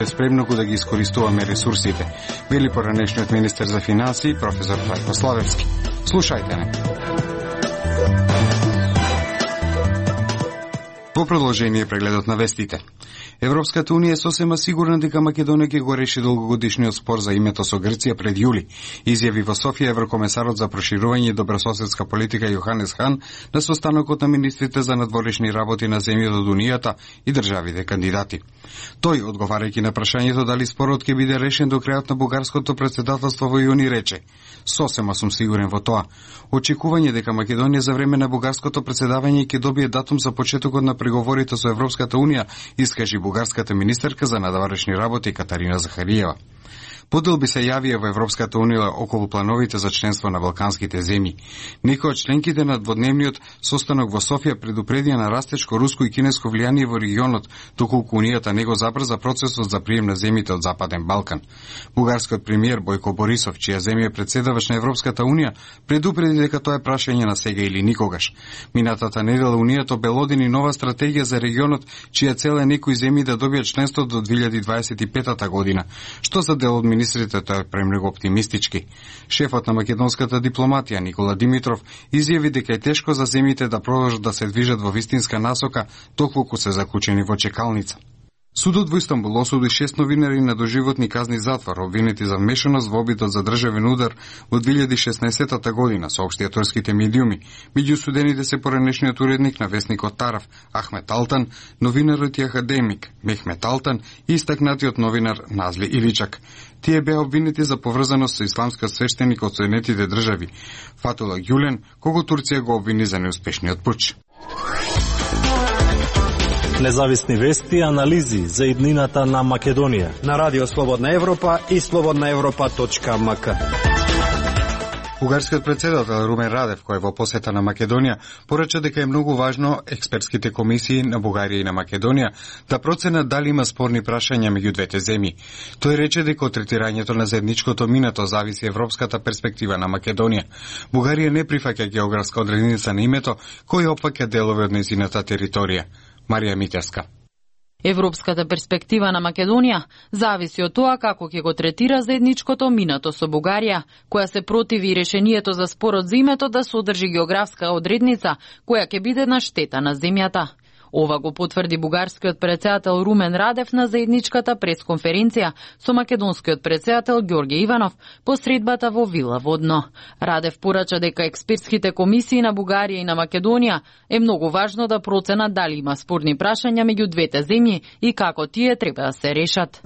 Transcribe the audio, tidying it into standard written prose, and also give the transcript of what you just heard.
Спремно да ги искористуваме ресурсите, вели поранешниот министер за финансии, професор Трајко Славевски. Слушајте не. Во продолжение прегледот на вестите. Европската унија е сосема сигурна дека Македонија ќе го реши долгогодишниот спор за името со Грција пред јули, изјави во Софија еврокомесарот за проширување и добрососедска политика Јоханес Хан на состанокот на министрите за надворешни работи на земјите од Унијата и државите кандидати. Тој, одговарајќи на прашањето дали спорот ќе биде решен до крајот на бугарското претседателство во јуни, рече: "Сосема сум сигурен во тоа. Очекување дека Македонија за време на бугарското претседавање ќе добие датум за почетокот на преговорите со Европската унија", искажи бугарската министерка за надворешни работи Катарина Захариева. Поделби се јавија во Европската унија околу плановите за членство на балканските земји. Некои од членките на дводневниот состанок во Софија предупредија на растечко руско и кинеско влијание во регионот, доколку унијата не го забрза процесот за прием на земјите од Западен Балкан. Бугарскиот премиер Бојко Борисов, чија земја е претседавач на Европската унија, предупреди дека тоа е прашање на сега или никогаш. Минатата недела унијата обелодени нова стратегија за регионот, чија цел е некои земји да добијат членство до 2025 година, што за дел од министрите тоа е премногу оптимистички. Шефот на македонската дипломатија Никола Димитров изјави дека е тешко за земјите да продолжат да се движат во вистинска насока доколку се заклучени во чекалница. Судот во Истанбул осуди 6 новинари на доживотни казни затвор, обвинети за вмешаност во обидот за државен удар во 2016 година, соопштија турските медиуми. Меѓу судените се поранешниот уредник на весникот Тараф Ахмет Алтан, новинарот и академик Мехмет Алтан и истакнатиот новинар Назли Иличак. Тие беа обвинети за поврзаност со исламскиот свештеник од Соединетите држави Фатула Гюлен, кого Турција го обвини за неуспешниот пуч. Независни вести и анализи за иднината на Македонија на Радио Слободна Европа и slobodnaevropa.mk. Бугарскиот претседател Румен Радев, кој во посета на Македонија, порача дека е многу важно експертските комисии на Бугарија и на Македонија да проценат дали има спорни прашања меѓу двете земји. Тој рече дека од третирањето на заедничкото минато зависи европската перспектива на Македонија. Бугарија не прифаќа географска одредница на името, кој опфаќа делови од нејзината територија. Марија Митевска. Европската перспектива на Македонија зависи од тоа како ќе го третира заедничкото минато со Бугарија, која се противи решението за спорот за името да содржи географска одредница која ќе биде на штета на земјата. Ова го потврди бугарскиот претседател Румен Радев на заедничката пресконференција со македонскиот претседател Ѓорѓе Иванов по средбата во Вила Водно. Радев порача дека експертските комисии на Бугарија и на Македонија е многу важно да проценат дали има спорни прашања меѓу двете земји и како тие треба да се решат.